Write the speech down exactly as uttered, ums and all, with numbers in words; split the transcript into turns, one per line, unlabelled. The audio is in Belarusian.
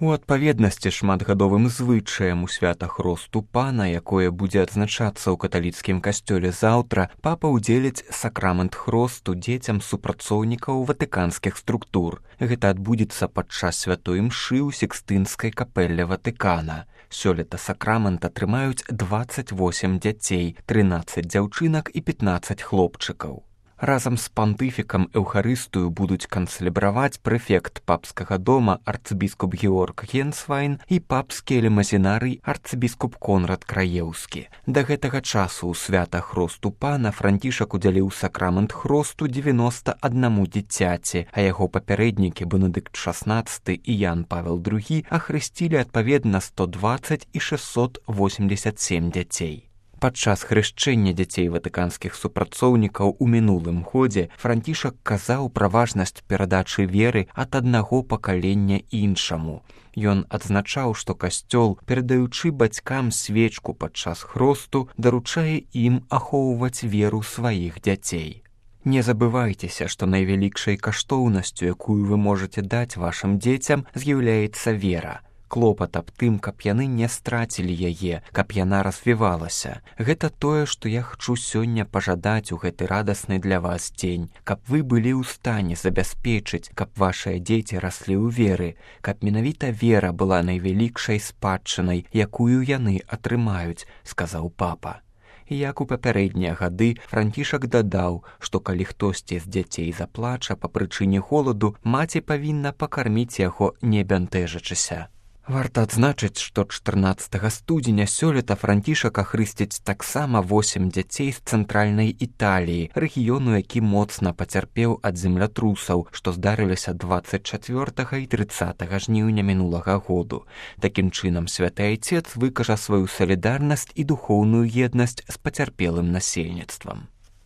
У адпаведнасці шматгадовым звычаем у свята Хросту Пана, якое будзе адзначацца ў каталіцкім касцёле заўтра, папа ўдзеліць сакрамент Хросту дзецям супрацоўнікаў ватыканскіх структур. Гэта адбудзецца падчас святой імшы ў Сікстынскай капэлле Ватыкана. Сёлета сакрамент атрымаюць дваццаць восем дзяцей, трынаццаць дзяўчынак і пятнаццаць хлопчыкаў. Разам з пантыфікам Эўхарыстыю будуць канцэлебраваць прэфект папскага дома арцыбіскуп Георг Генсвайн і папскі элемазінарый арцыбіскуп Конрад Краеўскі. Да гэтага часу ў свята Хросту Пана Францішак удзяліў сакрамент Хросту дзевяноста аднаму дзіцяці, а яго папярэднікі Бенедыкт шаснаццаты і Ян Павел другі ахрысцілі адпаведна сто дваццаць і шэсцьсот восемьдесят сем дзяцей. Падчас хрышчэння дзяцей ватыканскіх супрацоўнікаў у мінулым годзе Францішак казаў пра важнасць перадачы веры ад аднаго пакалення іншаму. Ён адзначаў, што касцёл, перадаючы бацькам свечку падчас хросту, даручае ім ахоўваць веру сваіх дзяцей. Не забывайцеся, што найвялікшай каштоўнасцю, якую вы можаце даць вашым дзецям, з'яўляецца вера. Клопат аб тым, каб яны не страцілі яе, каб яна развівалася. Гэта тое, што я хачу сёння пажадаць у гэты радасны для вас дзень, каб вы былі ў стане забяспечыць, каб вашыя дзеці раслі ў веры, каб менавіта вера была найвялікшай спадчынай, якую яны атрымаюць, сказаў папа. Як у папярэднія гады, Францішак дадаў, што калі хтосьці з дзяцей заплача па прычыне холаду, маці павінна пакарміць яго, не бянтэжачыся. Варта адзначыць, што чатырнаццатага студзеня сёлета Францішак ахрысціць таксама восем дзяцей з цэнтральнай Італіі, рэгіёну, які моцна пацярпеў ад землятрусаў, што здарыліся дваццаць чацвёртага і трыццатага жніўня мінулага году. Такім чынам, святы айцец выкажа сваю салідарнасць і духоўную еднасць з пацярпелым насельніцтвам.